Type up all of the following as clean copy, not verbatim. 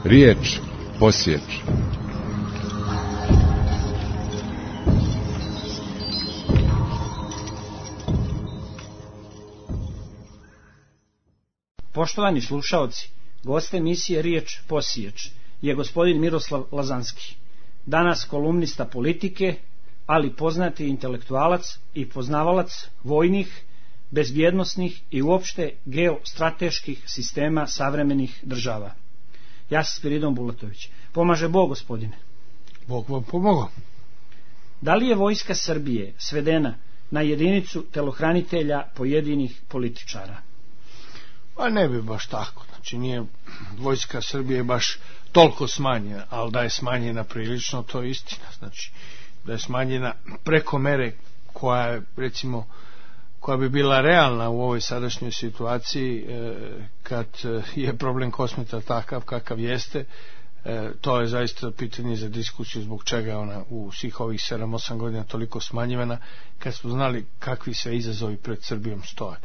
Riječ posječe. Poštovani slušaoci, gost emisije Riječ posječe je gospodin Miroslav Lazanski, danas kolumnista politike, ali poznati intelektualac i poznavalac vojnih, bezbjednosnih i uopšte geostrateških sistema savremenih država. Ja sam Spiridon Bulatović. Pomaže Bog, gospodine. Bog vam pomogao. Da li je vojska Srbije svedena na jedinicu telohranitelja pojedinih političara? Pa ne bi baš tako. Znači nije vojska Srbije baš toliko smanjena, ali da je smanjena prilično, to je istina. Znači da je smanjena preko mere koja je, recimo, koja bi bila realna u ovoj sadašnjoj situaciji, kad je problem Kosmeta takav kakav jeste. To je zaista pitanje za diskusiju zbog čega ona u svih ovih 7-8 godina toliko smanjivana, kad smo znali kakvi se izazovi pred Srbijom stoje.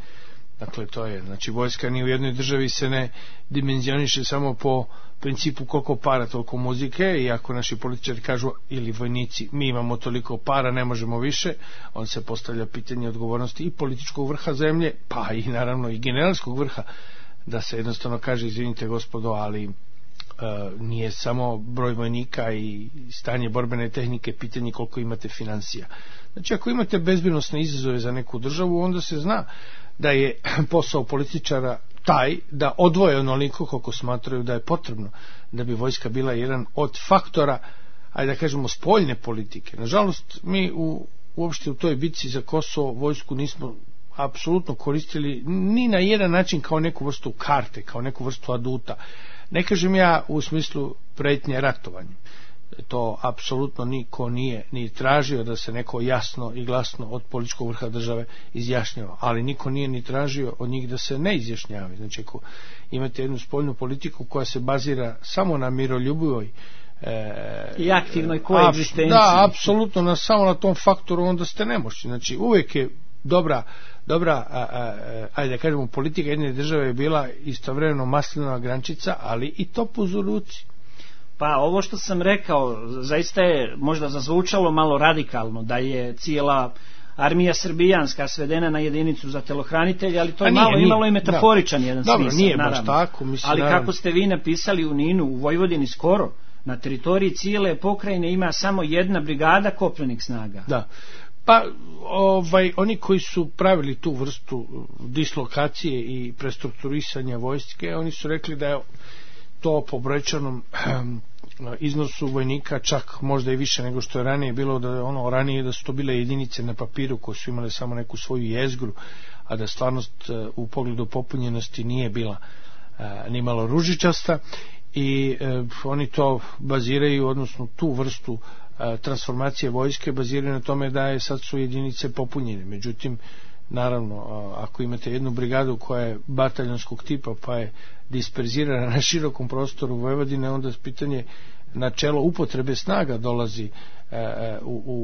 Dakle, to je, znači vojska ni u jednoj državi se ne dimenzioniše samo po principu koliko para, toliko muzike, i ako naši političari kažu, ili vojnici, mi imamo toliko para, ne možemo više, on se postavlja pitanje odgovornosti i političkog vrha zemlje, pa i naravno i generalskog vrha, da se jednostavno kaže, izvinite gospodo, ali nije samo broj vojnika i stanje borbene tehnike pitanje koliko imate financija. Znači, ako imate bezbjednosne izazove za neku državu, onda se zna da je posao političara taj da odvoje onoliko koliko smatraju da je potrebno da bi vojska bila jedan od faktora, ajde da kažemo, spoljne politike. Nažalost, mi uopšte u toj bitci za Kosovo vojsku nismo apsolutno koristili ni na jedan način kao neku vrstu karte, kao neku vrstu aduta. Ne kažem ja u smislu pretnje ratovanjem. To apsolutno niko nije ni tražio da se neko jasno i glasno od političkog vrha države izjašnjava, ali niko nije ni tražio od njih da se ne izjašnjavaju. Znači, ako imate jednu spoljnu politiku koja se bazira samo na miroljubivoj i aktivnoj koegzistenciji, da, apsolutno samo na tom faktoru, onda ste nemoćni. Znači, uvijek je dobra ajde da kažemo, politika jedne države je bila istovremeno maslinova grančica, ali i topuz u ruci. Pa ovo što sam rekao zaista je možda zazvučalo malo radikalno, da je cijela armija srbijanska svedena na jedinicu za telohranitelje, ali to je imalo i metaforičan jedan smisao. Nije baš tako, mislim, ali kako ste vi napisali u Ninu, u Vojvodini skoro, na teritoriji cijele pokrajine ima samo jedna brigada kopnenih snaga. Da. Pa oni koji su pravili tu vrstu dislokacije i prestrukturisanja vojske, oni su rekli da je to po brojčanom iznosu vojnika čak možda i više nego što je ranije bilo, da je ranije da su to bile jedinice na papiru koje su imale samo neku svoju jezgru, a da stvarnost u pogledu popunjenosti nije bila ni malo ružičasta, i oni to baziraju, odnosno tu vrstu transformacije vojske baziraju na tome da je sad su jedinice popunjene. Međutim, naravno, ako imate jednu brigadu koja je bataljonskog tipa pa je disperzirana na širokom prostoru Vojvodine, onda pitanje načelo upotrebe snaga dolazi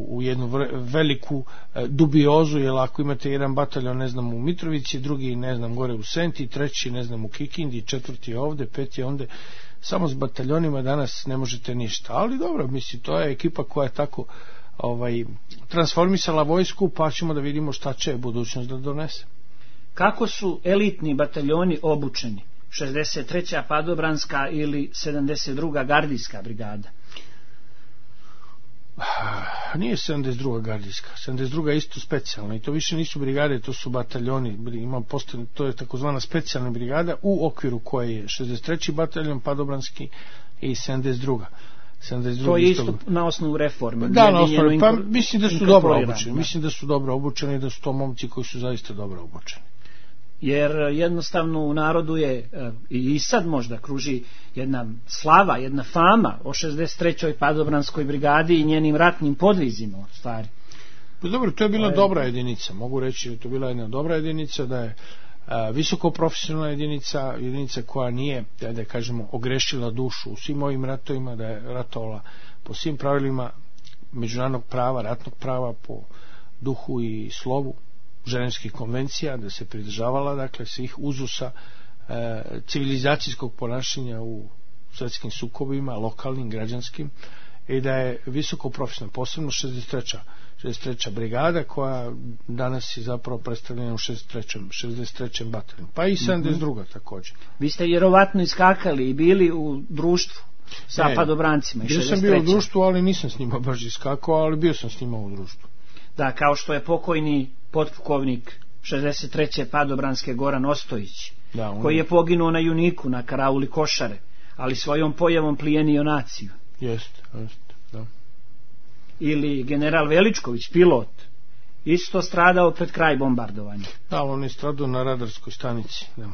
u jednu veliku dubiozu, jer ako imate jedan bataljon, ne znam, u Mitrovici, drugi, ne znam, gore u Senti, treći, ne znam, u Kikindi, četvrti ovde, peti ovde, samo s bataljonima danas ne možete ništa. Ali dobro, mislim, to je ekipa koja je tako transformisala vojsku, pa ćemo da vidimo šta će budućnost da donese. Kako su elitni bataljoni obučeni? 63. padobranska ili 72. gardijska brigada? Nije 72. gardijska, 72. je isto specijalna, i to više nisu brigade, to su bataljoni. To je takozvana specijalna brigada u okviru koje je 63. bataljon padobranski i 72. To je isto na osnovu reforme. Da, na osnovu, pa mislim da su dobro obučeni. Mislim da su dobro obučeni i da su to momci koji su zaista dobro obučeni. Jer jednostavno u narodu je i sad možda kruži jedna slava, jedna fama o 63. padobranskoj brigadi i njenim ratnim podvizima u stvari. Pa dobro, to je bila dobra jedinica, mogu reći da je to bila jedna dobra jedinica, da je visoko profesionalna jedinica koja nije, da kažemo, ogrešila dušu u svim ovim ratovima, da je ratovala po svim pravilima međunarodnog prava, ratnog prava, po duhu i slovu ženevskih konvencija, da se pridržavala, dakle, svih uzusa civilizacijskog ponašanja u svetskim sukobima, lokalnim, građanskim, i da je visoko profesionalna, posebno 63. brigada, koja danas je zapravo predstavljena u 63. bataljonu, pa i 72. također. Vi ste vjerovatno iskakali i bili u društvu sa padobrancima. Bio sam bio u društvu, ali nisam s njima baš iskakao, ali bio sam s njima u društvu. Da, kao što je pokojni potpukovnik 63. padobranske Goran Ostojić, koji je poginuo na Juniku, na karauli Košare, ali svojom pojavom plijenio naciju. Jeste, da. Ili general Veličković, pilot, isto stradao pred kraj bombardovanja. Da, on je stradao na radarskoj stanici, da.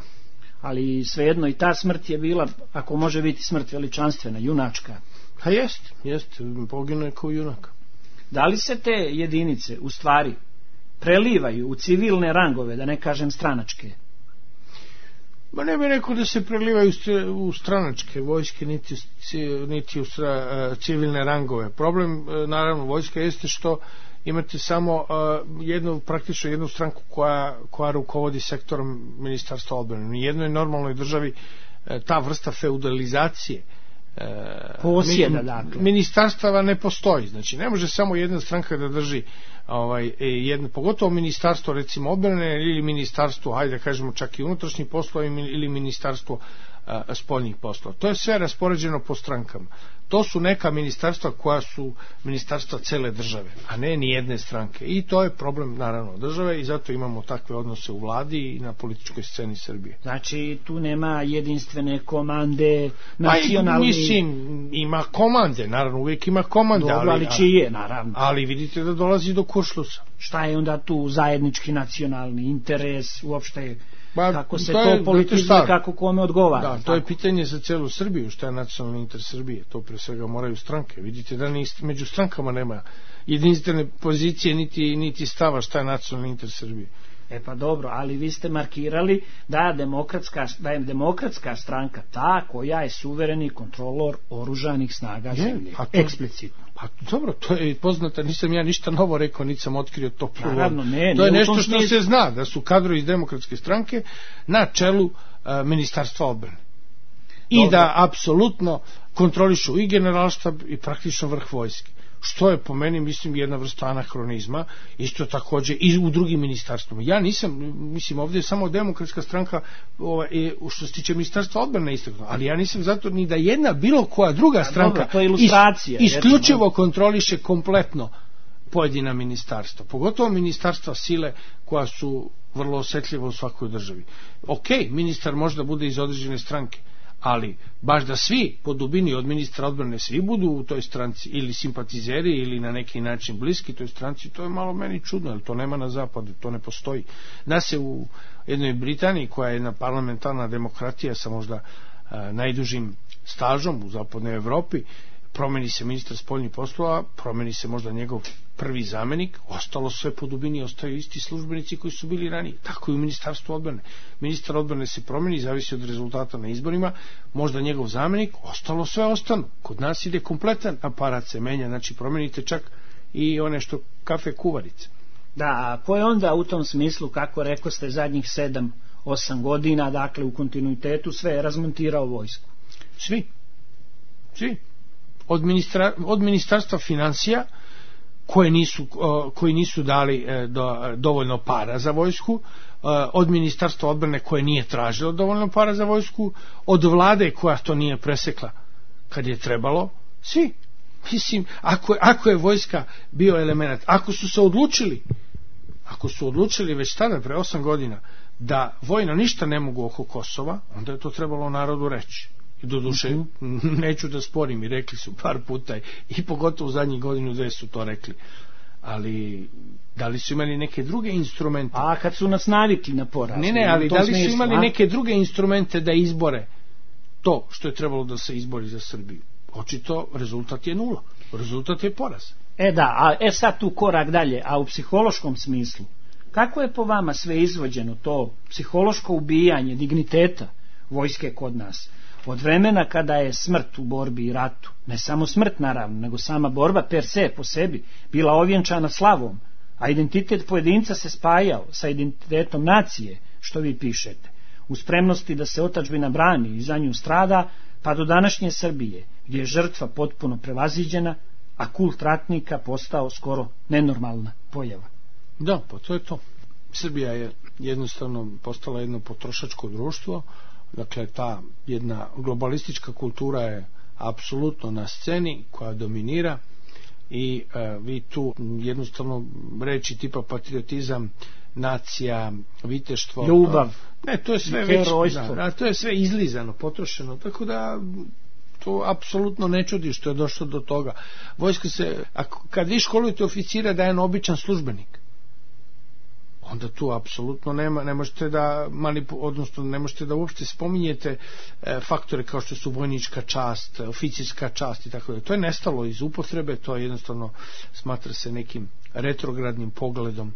Ali svejedno i ta smrt je bila, ako može biti smrt veličanstvena, junačka. A jest, poginuo je kao junak. Da li se te jedinice u stvari prelivaju u civilne rangove, da ne kažem stranačke? Ma ne bih rekao da se prelivaju u stranačke vojske, niti u civilne rangove. Problem, naravno, vojska jeste što imate samo praktično jednu stranku koja rukovodi sektorom Ministarstva odbrane. U jednoj normalnoj državi ta vrsta feudalizacije posjeda, dakle, ministarstava ne postoji. Znači ne može samo jedna stranka da drži pogotovo ministarstvo recimo odbrane ili ministarstvo, hajde da kažemo čak i unutrašnjih poslova ili ministarstvo spoljnih poslova. To je sve raspoređeno po strankama. To su neka ministarstva koja su ministarstva cele države, a ne ni jedne stranke. I to je problem, naravno, države, i zato imamo takve odnose u vladi i na političkoj sceni Srbije. Znači, tu nema jedinstvene komande nacionalni... Mislim, ima komande, naravno, uvijek ima komande. Dobro, ali čije, naravno. Ali vidite da dolazi do kuršlusa. Šta je onda tu zajednički nacionalni interes, uopšte... kako se to politizuje, kako kome odgovara. Da, to je pitanje za celu Srbiju, šta je nacionalni interes Srbije. To pre svega moraju stranke. Vidite da među strankama nema jedinstvene pozicije niti stava šta je nacionalni interes Srbije. Pa dobro, ali vi ste markirali da je demokratska stranka ta koja je suvereni kontrolor oružanih snaga zemlje. Eksplicitno. Pa dobro, to je poznato, nisam ja ništa novo rekao, niti sam otkrio to prvo. Naravno, to je nešto što se zna, da su kadrovi iz demokratske stranke na čelu Ministarstva odbrane. I da apsolutno kontrolišu i generalštab i praktično vrh vojske. Što je po meni, mislim, jedna vrsta anahronizma, isto također i u drugim ministarstvima. Ja nisam, mislim, ovdje je samo demokratska stranka što se tiče ministarstva odbrane istaknuta, ali ja nisam zato ni da jedna bilo koja druga stranka dobro, to je ilustracija, isključivo kontroliše kompletno pojedina ministarstva, pogotovo ministarstva sile koja su vrlo osjetljiva u svakoj državi. Ok, ministar možda bude iz određene stranke, ali baš da svi po dubini od ministra odbrane svi budu u toj stranci ili simpatizeri ili na neki način bliski toj stranci, to je malo meni čudno, jer to nema na zapadu, to ne postoji. Da se u jednoj Britaniji, koja je jedna parlamentarna demokratija sa možda najdužim stažom u zapadnoj Evropi, promeni se ministar spoljnih poslova, promeni se možda njegov prvi zamenik, ostalo sve po dubini, ostaju isti službenici koji su bili ranije. Tako i u ministarstvu odbrane. Ministar odbrane se promeni, zavisi od rezultata na izborima, možda njegov zamenik, ostalo sve ostanu. Kod nas ide kompletan aparat se menja, znači promenite čak i one što kafe kuvarice. Da, a ko je onda u tom smislu, kako rekao ste, zadnjih 7-8 godina, dakle u kontinuitetu sve je razmontirao vojsku? Svi. Od ministarstva financija koji nisu dali dovoljno para za vojsku, od ministarstva odbrane koje nije tražilo dovoljno para za vojsku, od vlade koja to nije presekla kad je trebalo, svi. Mislim, ako je vojska bio element, ako su odlučili već tada pre 8 godina da vojno ništa ne mogu oko Kosova, onda je to trebalo narodu reći. I doduše, neću da sporim, i rekli su par puta i pogotovo u zadnjih godinu dve su to rekli, ali da li su imali neke druge instrumente? A kad su nas navikli na poraz? Ne, ali da li su imali neke druge instrumente da izbore to što je trebalo da se izbori za Srbiju? Očito rezultat je nula, rezultat je poraz. Sad tu korak dalje, a u psihološkom smislu, kako je po vama sve izvođeno to psihološko ubijanje digniteta vojske kod nas? Od vremena kada je smrt u borbi i ratu, ne samo smrt naravno, nego sama borba per se po sebi, bila ovjenčana slavom, a identitet pojedinca se spajao sa identitetom nacije, što vi pišete, u spremnosti da se otadžbina brani i za nju strada, pa do današnje Srbije, gdje je žrtva potpuno prevaziđena, a kult ratnika postao skoro nenormalna pojava. Da, pa to je to. Srbija je jednostavno postala jedno potrošačko društvo, dakle ta jedna globalistička kultura je apsolutno na sceni koja dominira i vi tu jednostavno reći tipa patriotizam, nacija, viteštvo, ljubav, ne, to je sve već, to je sve izlizano, potrošeno, tako da to apsolutno ne čudi što je došlo do toga. Vojska se, kad vi školujete oficira da je jedan običan službenik, onda tu apsolutno ne možete da odnosno ne možete da uopšte spominjete faktore kao što su vojnička čast, oficirska čast i tako da. To je nestalo iz upotrebe, to je jednostavno smatra se nekim retrogradnim pogledom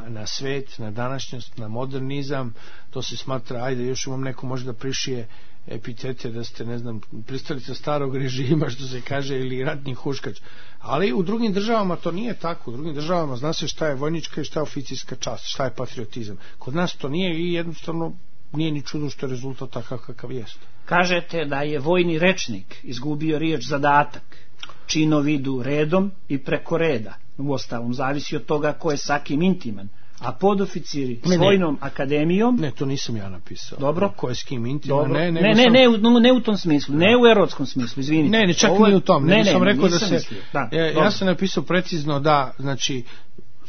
na svet, na današnjost, na modernizam. To se smatra, ajde još vam neko može da prišije epitete da ste, ne znam, pristalica starog režima, što se kaže, ili ratni huškač. Ali u drugim državama to nije tako. U drugim državama zna se šta je vojnička i šta je oficirska čast, šta je patriotizam. Kod nas to nije i jednostavno nije ni čudo što je rezultat takav kakav jest. Kažete da je vojni rečnik izgubio riječ zadatak. Činovi idu redom i preko reda. Uostalom, zavisi od toga ko je sa kim intiman. A podoficiri s vojnom akademijom... Ne, to nisam ja napisao. Dobro. Ko je s kim intiman? Dobro. Ne u tom smislu, ne u erotskom smislu, izvinite. Ne, čak ni u tom. Ne, sam rekao da se... Ja sam napisao precizno da, znači,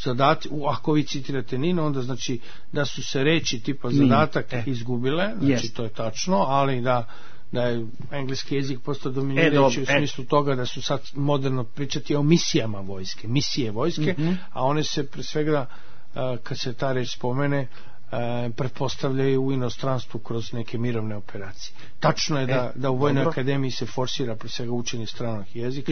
zadati, ako vi citirate Nino, onda znači da su se reči tipa zadatak izgubile, znači to je tačno, ali da je engleski jezik postao dominirajući u smislu toga da su sad moderno pričati o misijama vojske, misije vojske, a one se pre svega kad se ta reč spomene pretpostavljaju u inostranstvu kroz neke mirovne operacije. Tačno je da u Vojnoj akademiji se forsira pre svega učenje stranog jezika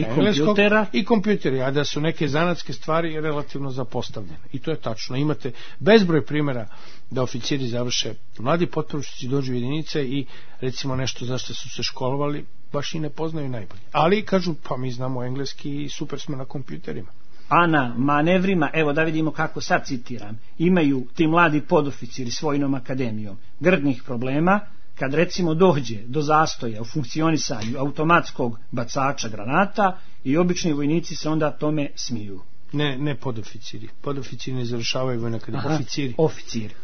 i kompjuteri, a da su neke zanatske stvari relativno zapostavljene. I to je tačno. Imate bezbroj primjera da oficiri završe, mladi potporučnici dođu u jedinice i recimo nešto za što su se školovali baš i ne poznaju najbolje. Ali kažu, pa mi znamo engleski i super smo na kompjuterima. A na manevrima, evo da vidimo kako sad citiram, imaju ti mladi podoficiri s Vojnom akademijom grdnih problema kad recimo dođe do zastoja u funkcionisanju automatskog bacača granata i obični vojnici se onda tome smiju. Ne podoficiri. Podoficiri ne završavaju Vojnu akademiju. Oficiri.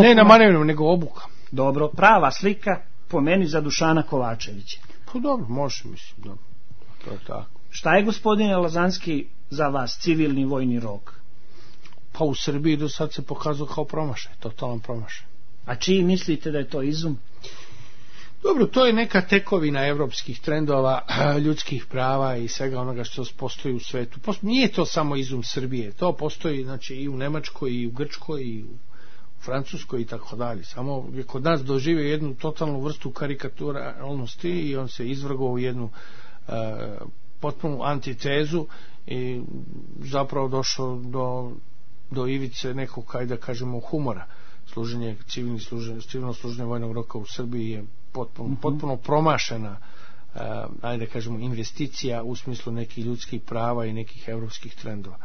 Ne na manevrima, nego obuka. Dobro, prava slika po meni za Dušana Kovačevića. Pa dobro, može, mislim, dobro. To je tako. Šta je, gospodine Lazanski, za vas civilni vojni rok? Pa u Srbiji do sad se pokazao kao promašaj, totalan promašaj. A čiji mislite da je to izum? Dobro, to je neka tekovina evropskih trendova, ljudskih prava i svega onoga što postoji u svetu. Nije to samo izum Srbije, to postoji znači i u Nemačkoj, i u Grčkoj, i u Francuskoj i tako dalje. Samo je kod nas doživio jednu totalnu vrstu karikaturalnosti i on se izvrgao u jednu potpunu antitezu i zapravo došao do ivice nekog, kaj da kažemo, humora. Civilno služenje vojnog roka u Srbiji je potpuno promašena, ajde da kažemo, investicija u smislu nekih ljudskih prava i nekih evropskih trendova.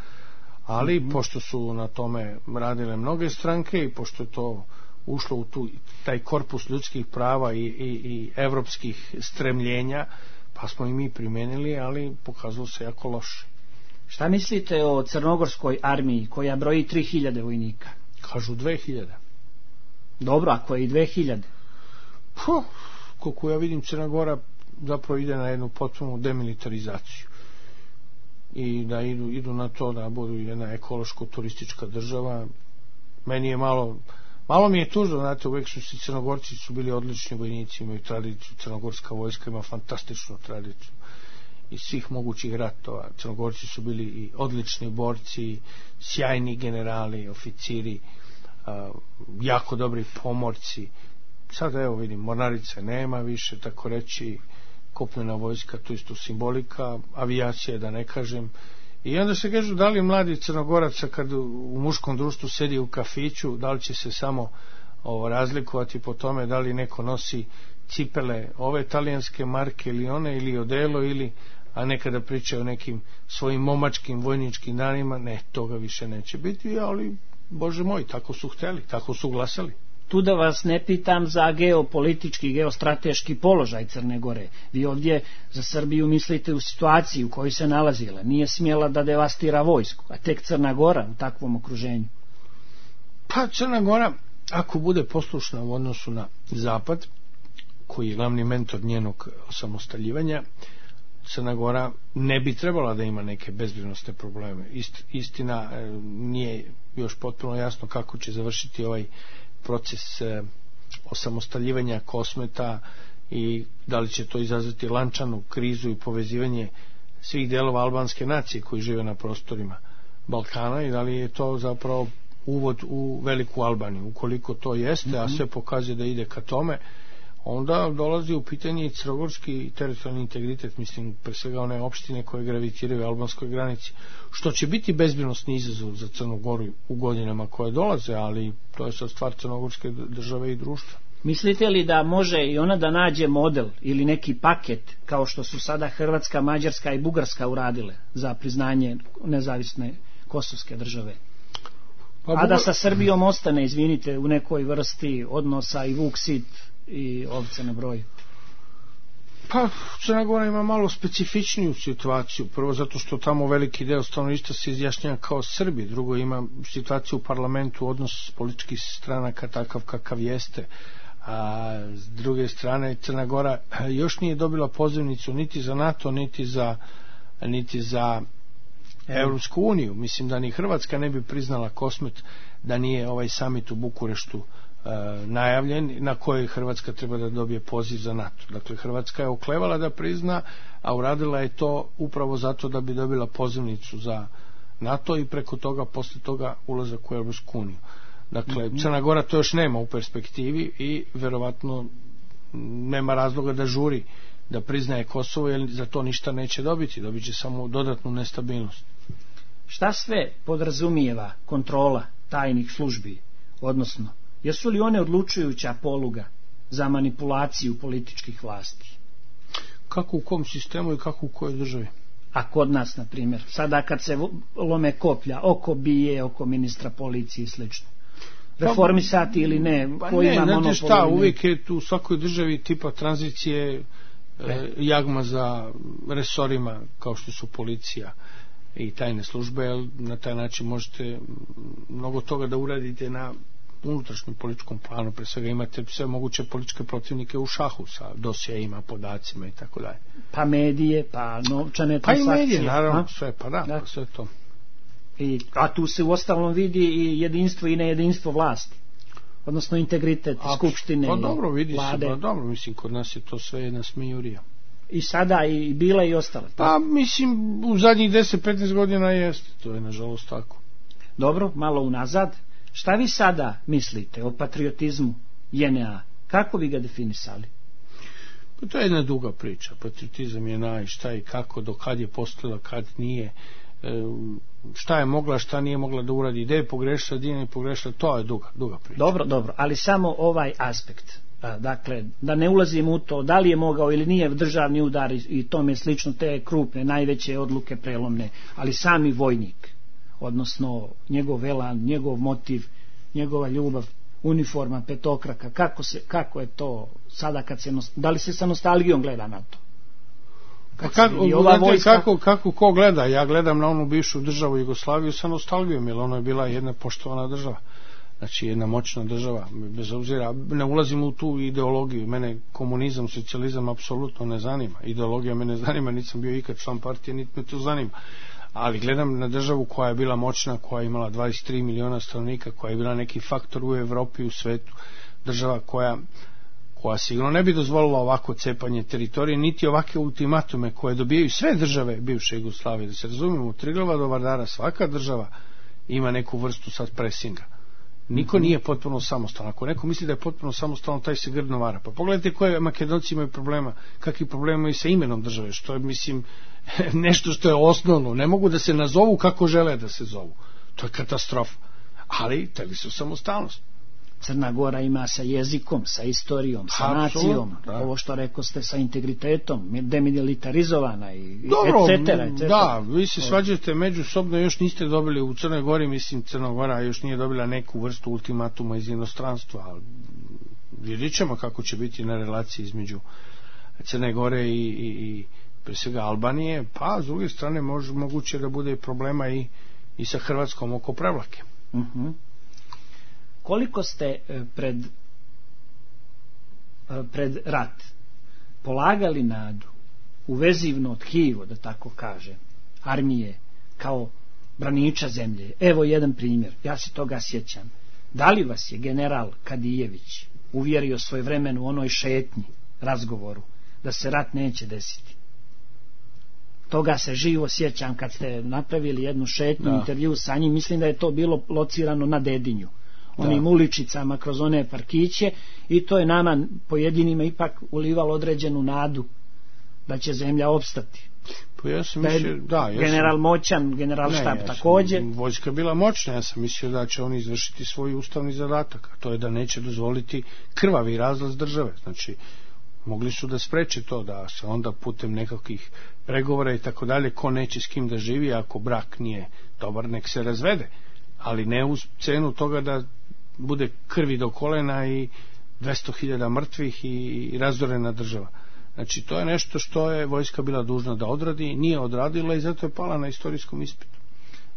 Ali pošto su na tome radile mnoge stranke i pošto je to ušlo u taj korpus ljudskih prava i evropskih stremljenja, pa smo i mi primenili, ali pokazalo se jako loše. Šta mislite o crnogorskoj armiji koja broji 3000 vojnika? Kažu 2000. Dobro, ako je i 2000? Koliko ja vidim, Crna Gora zapravo ide na jednu potpunu demilitarizaciju i da idu na to da budu jedna ekološko-turistička država. Meni je malo mi je tužno, znate, uvek su Crnogorci su bili odlični vojnici, imaju tradiciju, crnogorska vojska ima fantastičnu tradiciju iz svih mogućih ratova. Crnogorci su bili i odlični borci, sjajni generali, oficiri, jako dobri pomorci. Sad evo vidim, mornarice nema više, tako reći, kopnena vojska, to isto simbolika, avijacija da ne kažem. I onda se kažu, da li mladi Crnogoraca kad u muškom društvu sedi u kafiću, da li će se samo razlikovati po tome da li neko nosi cipele ove talijanske marke ili one, ili odelo, ili, a nekada priča o nekim svojim momačkim vojničkim danima. Ne, toga više neće biti, ali Bože moj, tako su hteli, tako su glasali. tu da vas ne pitam za geopolitički, geostrateški položaj Crne Gore. Vi ovdje za Srbiju mislite u situaciji u kojoj se nalazila. Nije smjela da devastira vojsku, a tek Crna Gora u takvom okruženju. Pa Crna Gora, ako bude poslušna u odnosu na Zapad, koji je glavni mentor njenog osamostaljivanja, Crna Gora ne bi trebala da ima neke bezbednosne probleme. Istina, nije još potpuno jasno kako će završiti ovaj proces osamostaljivanja Kosmeta i da li će to izazvati lančanu krizu i povezivanje svih delova albanske nacije koji žive na prostorima Balkana i da li je to zapravo uvod u veliku Albaniju. Ukoliko to jeste, a sve pokazuje da ide ka tome, onda dolazi u pitanje i crnogorski teritorijalni integritet, mislim pre svega one opštine koje gravitiraju albanskoj granici, što će biti bezbednosni izazov za Crnu Goru u godinama koje dolaze, ali to je sad stvar crnogorske države i društva. Mislite li da može i ona da nađe model ili neki paket kao što su sada Hrvatska, Mađarska i Bugarska uradile za priznanje nezavisne kosovske države? A da sa Srbijom ostane, izvinite, u nekoj vrsti odnosa i vuk sit i ovce na broju? Pa Crna Gora ima malo specifičniju situaciju. Prvo zato što tamo veliki deo stanovništva se izjašnjava kao Srbi, drugo ima situaciju u parlamentu, odnos političkih stranaka takav kakav jeste, a s druge strane Crna Gora još nije dobila pozivnicu niti za NATO niti za Evropsku uniju. Mislim da ni Hrvatska ne bi priznala Kosmet da nije ovaj samit u Bukureštu najavljen, na kojoj Hrvatska treba da dobije poziv za NATO. Dakle, Hrvatska je oklevala da prizna, a uradila je to upravo zato da bi dobila pozivnicu za NATO i preko toga, posle toga ulazak u Evropsku uniju. Dakle, Crna Gora to još nema u perspektivi i verovatno nema razloga da žuri da priznaje Kosovo, jer za to ništa neće dobiti, dobit će samo dodatnu nestabilnost. Šta sve podrazumijeva kontrola tajnih službi, odnosno jesu li one odlučujuća poluga za manipulaciju političkih vlasti? Kako u kom sistemu i kako u kojoj državi? A kod nas, na primjer, sada kad se lome koplja oko BIA, oko ministra policije i slično, reformisati ili ne, ko ima monopol? Šta, uvijek je tu u svakoj državi tipa tranzicije jagma za resorima kao što su policija i tajne službe, jer na taj način možete mnogo toga da uradite na unutrašnjem političkom planu. Pre svega imate sve moguće političke protivnike u šahu sa dosjeima, podacima i tako dalje. Pa medije, pa novčane transakcije. Pa i medije, naravno, sve, pa da. Pa sve to. A tu se u ostalom vidi i jedinstvo i nejedinstvo vlasti, odnosno integritet skupštine, pa dobro, vidi vlade. Se, pa dobro, mislim, kod nas je to sve jedna smijurija. I sada i bila i ostala. Pa mislim, u zadnjih 10-15 godina jeste, to je nažalost tako. Dobro, malo unazad. Šta vi sada mislite o patriotizmu JNA? Kako bi ga definisali? Pa to je jedna duga priča. Patriotizam je šta i kako, do kad je postojala, kad nije, šta je mogla, šta nije mogla da uradi, gde je pogrešila, gde nije pogrešila, to je duga priča. Dobro, ali samo ovaj aspekt. Dakle, da ne ulazim u to da li je mogao ili nije državni udar i tome slično, te krupne, najveće odluke prelomne, ali sami vojnik, odnosno njegov elan, njegov motiv, njegova ljubav, uniforma, petokraka, kako je to sada kad se, da li se sa nostalgijom gleda na to? Kako ko gleda? Ja gledam na onu bivšu državu Jugoslaviju sa nostalgijom, jer ona je bila jedna poštovana država, znači jedna moćna država, bez obzira, ne ulazim u tu ideologiju, mene komunizam, socijalizam apsolutno ne zanima, ideologija me ne zanima, nisam bio ikad član partije, niti me to zanima, ali gledam na državu koja je bila moćna, koja je imala 23 miliona stanovnika, koja je bila neki faktor u Evropi, u svetu, država koja sigurno ne bi dozvolila ovako cepanje teritorije, niti ovakve ultimatume koje dobijaju sve države bivše Jugoslavije. Da se razumijemo, od Triglava do Vardara svaka država ima neku vrstu sad presinga. Niko nije potpuno samostalan. Ako neko misli da je potpuno samostalan, taj se grdno vara. Pa pogledajte koje Makedonci imaju problema, kakvi problema imaju sa imenom države, što je, mislim, nešto što je osnovno. Ne mogu da se nazovu kako žele da se zovu. To je katastrofa. Ali teli su samostalnost. Crna Gora ima sa jezikom, sa istorijom, sa nacijom, ovo što rekao ste sa integritetom, demilitarizovana i etc. Da, vi se svađate međusobno, još niste dobili u Crnoj Gori, mislim Crna Gora još nije dobila neku vrstu ultimatuma iz inostranstva, ali vidjet ćemo kako će biti na relaciji između Crne Gore i pre svega Albanije, pa s druge strane moguće da bude problema i sa Hrvatskom oko Prevlake. Koliko ste pred rat polagali nadu u vezivno tkivo, da tako kaže, armije kao braniča zemlje? Evo jedan primjer, ja se toga sjećam. Da li vas je general Kadijević uvjerio svojevremeno u onoj šetnji, razgovoru, da se rat neće desiti? Toga se živo sjećam kad ste napravili jednu šetnju, intervju sa njim, mislim da je to bilo locirano na Dedinju, onim uličicama kroz one parkiće, i to je nama pojedinima ipak ulivalo određenu nadu da će zemlja opstati. Pa ja sam mislio, general moćan, generalštab također. Vojska bila moćna, ja sam mislio da će oni izvršiti svoj ustavni zadatak, a to je da neće dozvoliti krvavi razlaz države. Znači, mogli su da spreče to, da se onda putem nekakvih pregovora i tako dalje, ko neće s kim da živi, ako brak nije dobar, nek se razvede, ali ne uz cenu toga da bude krvi do kolena i 200.000 mrtvih i razorena država. Znači, to je nešto što je vojska bila dužna da odradi, nije odradila i zato je pala na istorijskom ispitu.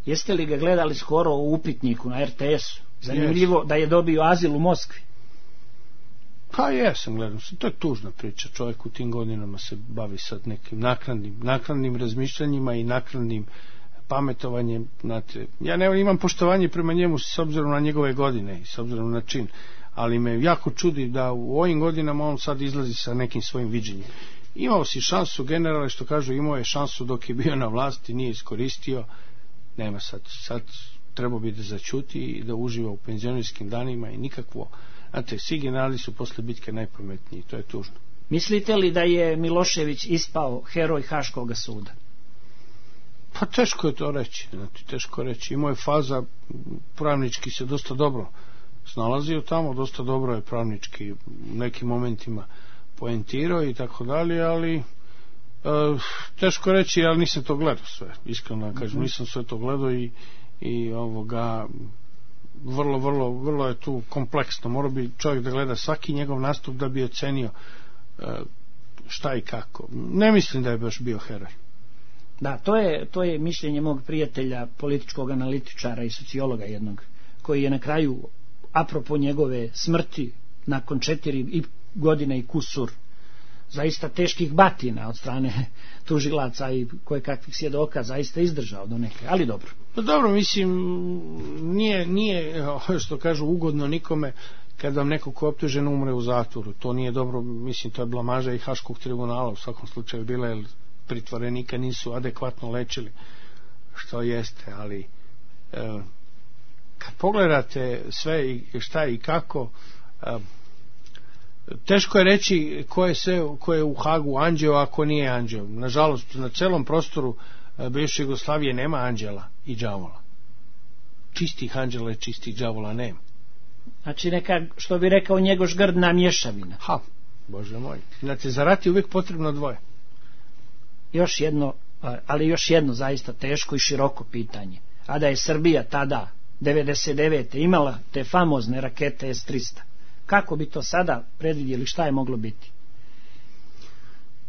Jeste li ga gledali skoro u upitniku na RTS-u? Zanimljivo da je dobio azil u Moskvi. Pa jesam, gledam se, to je tužna priča. Čovjek u tim godinama se bavi sad nekim naknadnim razmišljanjima i naknadnim pametovanjem. Znate, ja imam poštovanje prema njemu s obzirom na njegove godine i s obzirom na čin, ali me jako čudi da u ovim godinama on sad izlazi sa nekim svojim viđenjem. Imao si šansu, generale, što kažu, imao je šansu dok je bio na vlasti, nije iskoristio, nema sad trebao bi da zaćuti i da uživa u penzionerskim danima i nikakvo. Znate, svi generali su posle bitke najpametniji, to je tužno. Mislite li da je Milošević ispao heroj Haškog suda? Pa teško je to reći, znači, teško reći. Imao je faza, pravnički se dosta dobro snalazio tamo, dosta dobro je pravnički u nekim momentima poentirao i tako dalje, ali teško reći, ali nisam to gledao sve, iskreno da kažem, nisam sve to gledao i vrlo je tu kompleksno. Mora bi čovjek da gleda svaki njegov nastup da bi ocenio šta i kako. Ne mislim da je baš bio heroj. Da, to je mišljenje mog prijatelja, političkog analitičara i sociologa jednog, koji je na kraju, apropo njegove smrti, nakon 4 godine i kusur zaista teških batina od strane tužilaca i kojekakvih svjedoka, zaista izdržao do neke, ali dobro. Pa dobro, mislim, nije što kažu ugodno nikome kad vam neko ko je optužen umre u zatvoru. To nije dobro, mislim, to je blamaža i Haškog tribunala u svakom slučaju bila, jer pritvorenika nisu adekvatno lečili, što jeste, ali kad pogledate sve i šta i kako, teško je reći ko je u Hagu anđeo, a ko nije anđeo. Nažalost, na celom prostoru bivše Jugoslavije nema anđela i đavola. Čistih anđela i čistih đavola nema. Znači neka, što bi rekao Njegoš, grdna mješavina. Ha, Bože moj. Znači, za rat je uvijek potrebno dvoje. Još jedno zaista teško i široko pitanje. A da je Srbija tada 99. imala te famozne rakete S-300, kako bi to sada predvidjeli, šta je moglo biti?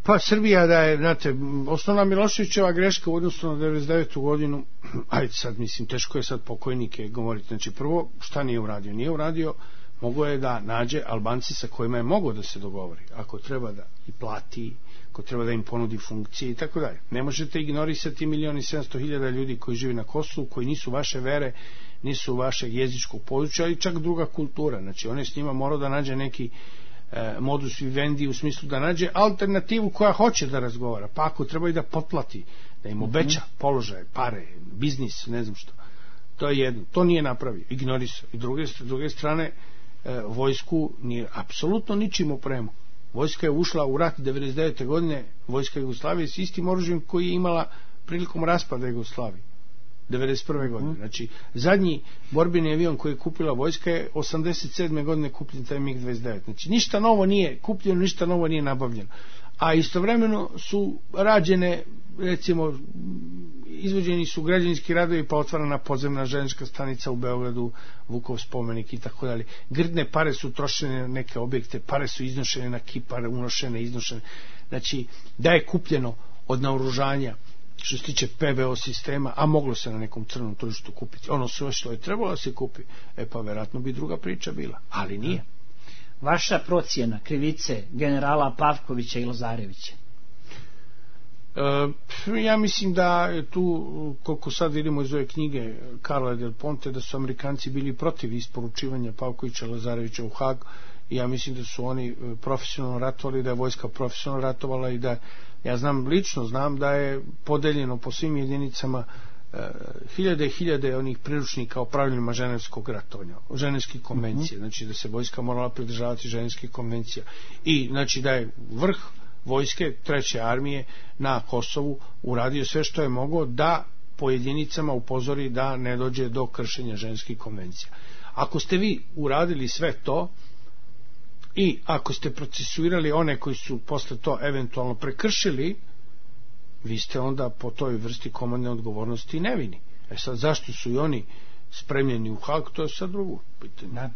Pa Srbija, da je, znate, osnovna Miloševićeva greška u odnosu na 99. godinu, ajde sad, mislim, teško je sad pokojnike govoriti. Znači, prvo, šta nije uradio? Nije uradio, mogo je da nađe Albanci sa kojima je mogao da se dogovori, ako treba da i plati, ako treba da im ponudi funkcije i tako dalje. Ne možete ignorisati 1.700.000 ljudi koji žive na Kosovu, koji nisu vaše vere, nisu vašeg jezičkog područja, ali čak druga kultura. Znači, on je s njima morao da nađe neki modus vivendi, u smislu da nađe alternativu koja hoće da razgovara, pa ako treba i da potplati, da im obeća položaje, pare, biznis, ne znam što. To je jedno, to nije napravio, ignorisao. I druge strane, vojsku nije apsolutno ničim opremao. Vojska je ušla u rat 99. godine, vojska Jugoslavije, s istim oružjem koji je imala prilikom raspada Jugoslavije. 91. godine. Znači, zadnji borbeni avion koji je kupila vojska je 87. godine kupljen taj MiG-29. Znači, ništa novo nije kupljeno, ništa novo nije nabavljeno. A istovremeno su rađene, recimo, izvođeni su građevinski radovi, pa otvarana podzemna željeznička stanica u Beogradu, Vukov spomenik i tako dalje. Grdne pare su trošene na neke objekte, pare su iznošene na Kipar, unošene, iznošene. Znači, da je kupljeno od naoružanja što se tiče PVO sistema, a moglo se na nekom crnom tržištu kupiti. Ono sve što je trebalo da se kupi, pa verovatno bi druga priča bila, ali nije. Vaša procjena krivice generala Pavkovića i Lazarevića? Ja mislim da je tu, koliko sad vidimo iz ove knjige Karla del Ponte, da su Amerikanci bili protiv isporučivanja Pavkovića i Lazarevića u Hag, i ja mislim da su oni profesionalno ratovali, da je vojska profesionalno ratovala i da, ja lično znam da je podeljeno po svim jedinicama hiljade i hiljade onih priručnika o pravilima ženevskog ratovanja, ženevskih konvencija, znači da se vojska morala pridržavati ženevskih konvencija i znači da je vrh vojske treće armije na Kosovu uradio sve što je moglo da po jedinicama upozori da ne dođe do kršenja ženevskih konvencija. Ako ste vi uradili sve to i ako ste procesuirali one koji su posle to eventualno prekršili, vi ste onda po toj vrsti komandne odgovornosti nevini. Sad, zašto su i oni spremljeni u Hag, to je sad drugo pitanje. Da.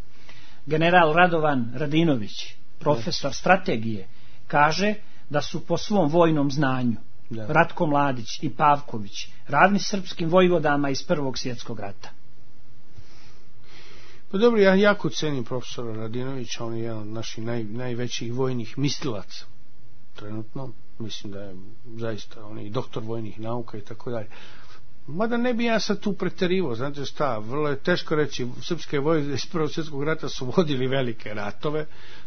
General Radovan Radinović, profesor strategije, kaže da su po svom vojnom znanju Ratko Mladić i Pavković ravni srpskim vojvodama iz Prvog svjetskog rata. Pa dobro, ja jako cenim profesora Radinovića, on je jedan od naših najvećih vojnih mislilaca trenutno, mislim da je zaista on je doktor vojnih nauka i tako dalje. Mada ne bi ja sad tu preterivao, znate šta, vrlo je teško reći, srpske vojske iz Prvog svjetskog rata su vodili velike ratove,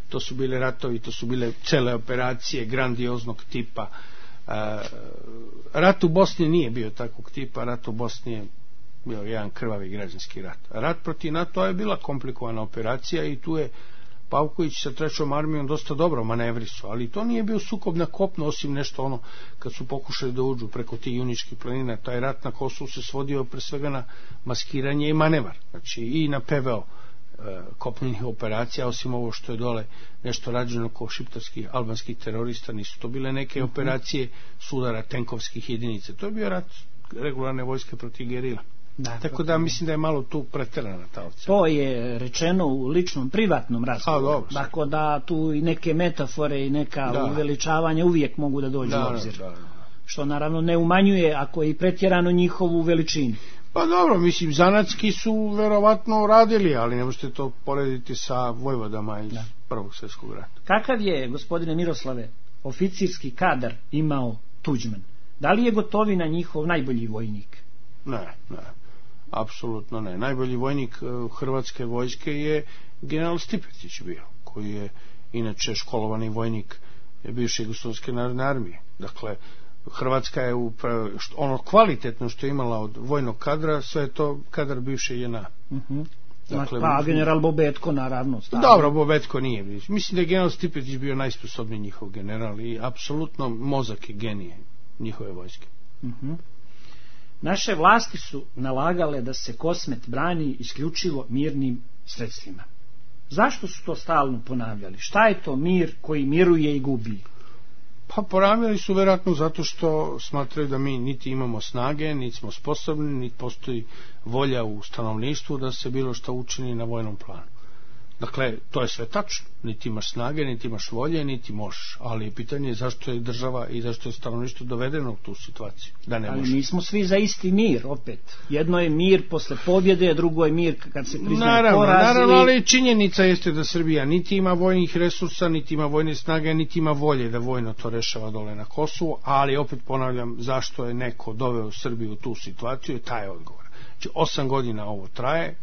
to su bile ratovi, to su bile cele operacije grandioznog tipa. Rat u Bosni nije bio takvog tipa, rat u Bosni je bio jedan krvavi građanski rat. Rat protiv NATO je bila komplikovana operacija i tu je Pavković sa trećom armijom dosta dobro manevrisu, ali to nije bio sukob na kopno, osim nešto ono kad su pokušali da uđu preko tih Juničkih planina. Taj rat na Kosovu se svodio pre svega na maskiranje i manevar, znači i na PVO kopnenih operacija, osim ovo što je dole nešto rađeno kao šiptarskih albanskih terorista, nisu to bile neke operacije sudara tenkovskih jedinica, to je bio rat regularne vojske protiv gerila. Tako da mislim da je malo tu preterana ta ocena. To je rečeno u ličnom privatnom razgovoru, tako da tu i neke metafore i neka uveličavanja uvijek mogu da dođu u obzir, što naravno ne umanjuje ako je i pretjerano njihovu veličinu. Pa dobro, mislim, zanatski su verovatno radili, ali ne možete to porediti sa vojvodama iz Prvog svjetskog rata. Kakav je, gospodine Miroslave, oficirski kadar imao Tuđman? Da li je Gotovina njihov najbolji vojnik? Ne, apsolutno ne. Najbolji vojnik hrvatske vojske je general Stipetić bio, koji je inače školovani vojnik bivše Jugoslovenske narodne armije. Dakle, Hrvatska je ono kvalitetno što je imala od vojnog kadra, sve je to kadar bivše JNA. Dakle, pa general Bobetko naravno. Dobro, Bobetko nije. Mislim da je general Stipetić bio najsposobniji njihov general i apsolutno mozak je genije njihove vojske. Naše vlasti su nalagale da se Kosmet brani isključivo mirnim sredstvima. Zašto su to stalno ponavljali? Šta je to mir koji miruje i gubi? Pa ponavljali su verovatno zato što smatraju da mi niti imamo snage, niti smo sposobni, niti postoji volja u stanovništvu da se bilo što učini na vojnom planu. Dakle, to je sve tačno. Niti imaš snage, niti imaš volje, niti možeš. Ali pitanje je zašto je država i zašto je stanovništvo dovedeno u tu situaciju. Da ne može. Ali nismo svi za isti mir, opet. Jedno je mir posle pobjede, drugo je mir kad se priznaje poraz. Naravno, ali činjenica jeste da Srbija niti ima vojnih resursa, niti ima vojne snage, niti ima volje da vojno to rešava dole na Kosovu, ali opet ponavljam, zašto je neko doveo Srbiju u tu situaciju, taj je odgovor. Znači, 8 godina ovo traje,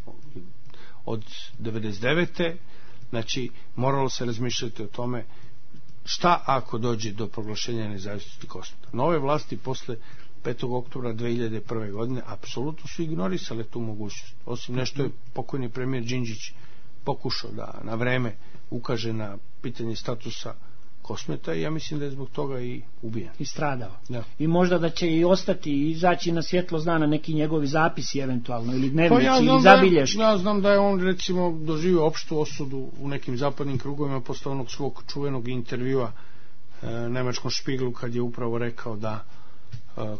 od 99. Znači, moralo se razmišljati o tome šta ako dođe do proglašenja nezavisnosti Kosmeta. Nove vlasti posle 5. oktobra 2001. godine apsolutno su ignorisale tu mogućnost. Osim nešto je pokojni premijer Đinđić pokušao da na vreme ukaže na pitanje statusa Kosmeta i ja mislim da je zbog toga i ubijen. I stradao. Da. I možda da će i ostati i izaći na svjetlo dana neki njegovi zapisi eventualno ili dnevnici ili zabilješke. Ja znam da je on recimo doživio opštu osudu u nekim zapadnim krugovima posle onog svog čuvenog intervjua nemačkom Špiglu kad je upravo rekao da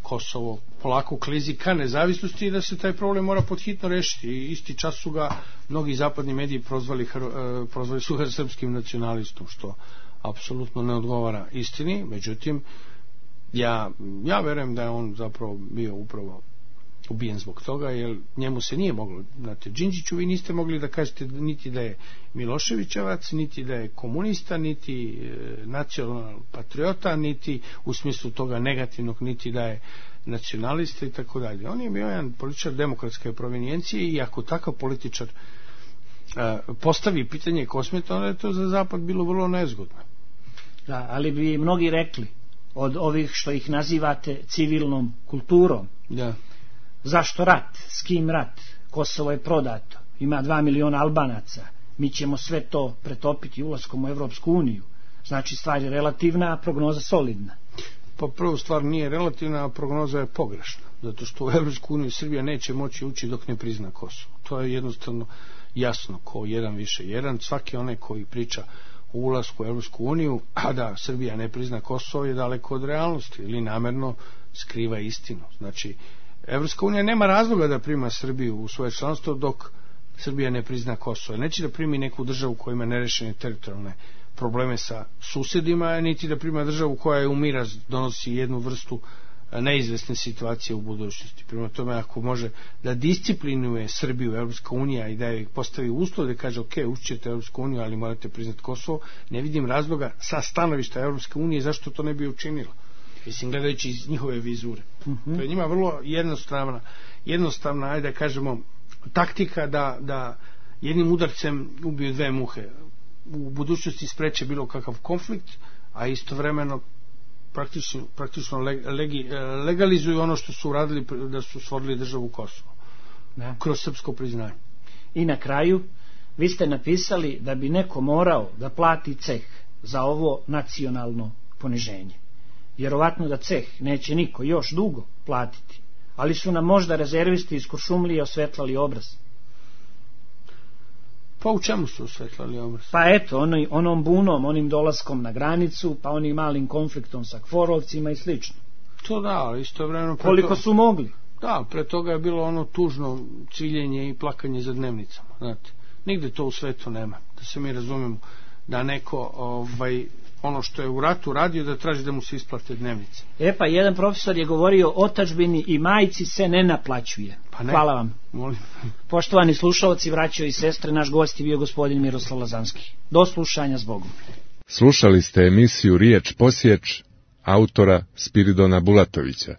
Kosovo polako klizi ka nezavisnosti i da se taj problem mora podhitno rešiti. I isti čas su ga mnogi zapadni mediji prozvali su ga srpskim nacionalistom, što apsolutno ne odgovara istini. Međutim, ja verujem da je on zapravo bio upravo ubijen zbog toga, jer njemu se nije moglo, znate, Đinđiću vi niste mogli da kažete niti da je Miloševićevac, niti da je komunista, niti nacional patriota, niti u smislu toga negativnog, niti da je nacionalista i tako dalje. On je bio jedan političar demokratske provenijencije i ako takav političar postavi pitanje Kosmeta, onda je to za Zapad bilo vrlo nezgodno. Da, ali bi mnogi rekli od ovih što ih nazivate civilnom kulturom. Da. Zašto rat? S kim rat? Kosovo je prodato. Ima 2 miliona Albanaca. Mi ćemo sve to pretopiti ulaskom u Evropsku uniju. Znači stvar je relativna, a prognoza solidna. Pa prvu stvar nije relativna, a prognoza je pogrešna. Zato što u Evropsku uniju Srbija neće moći ući dok ne prizna Kosovo. To je jednostavno jasno, ko 1+1. Svaki onaj koji priča o ulasku u Evropsku uniju, a da Srbija ne prizna Kosovo, je daleko od realnosti ili namerno skriva istinu. Znači, Evropska unija nema razloga da prima Srbiju u svoje članstvo dok Srbija ne prizna Kosovo. Neće da primi neku državu koja ima nerešene teritorijalne probleme sa susjedima, niti da prima državu koja je u miraz donosi jednu vrstu neizvesne situacije u budućnosti. Prema tome, ako može da disciplinuje Srbiju Evropska unija i da je postavi uslov da kaže ok, ućete Evropsku uniju, ali morate priznati Kosovo, ne vidim razloga sa stanovišta Evropske unije zašto to ne bi učinilo. Mislim, gledajući iz njihove vizure. To je njima vrlo jednostavna, ajde da kažemo, taktika da jednim udarcem ubiju 2 muhe. U budućnosti spreče bilo kakav konflikt, a istovremeno praktično legalizuju ono što su uradili, da su stvorili državu Kosovo. Da. Kroz srpsko priznanje. I na kraju, vi ste napisali da bi neko morao da plati ceh za ovo nacionalno poniženje. Vjerovatno da ceh neće niko još dugo platiti, ali su nam možda rezervisti iz Kuršumlije osvetlali obraz. Pa u čemu su osvetlali obraz? Pa eto, onom bunom, onim dolaskom na granicu, pa onim malim konfliktom sa Kforovcima i slično. To da, ali istovremeno... Koliko su mogli? Da, pre toga je bilo ono tužno ciljenje i plakanje za dnevnicama, znate. Nigde to u svetu nema, da se mi razumemo, da neko ono što je u ratu radio da traži da mu se isplate dnevnice. Pa jedan profesor je govorio o otadžbini i majci se ne naplaćuje. Pa ne. Hvala vam. Molim. Poštovani slušalci, braćo i sestre, naš gost je bio gospodin Miroslav Lazanski. Do slušanja, s Bogom. Slušali ste emisiju Riječ posječ autora Spiridona Bulatovića.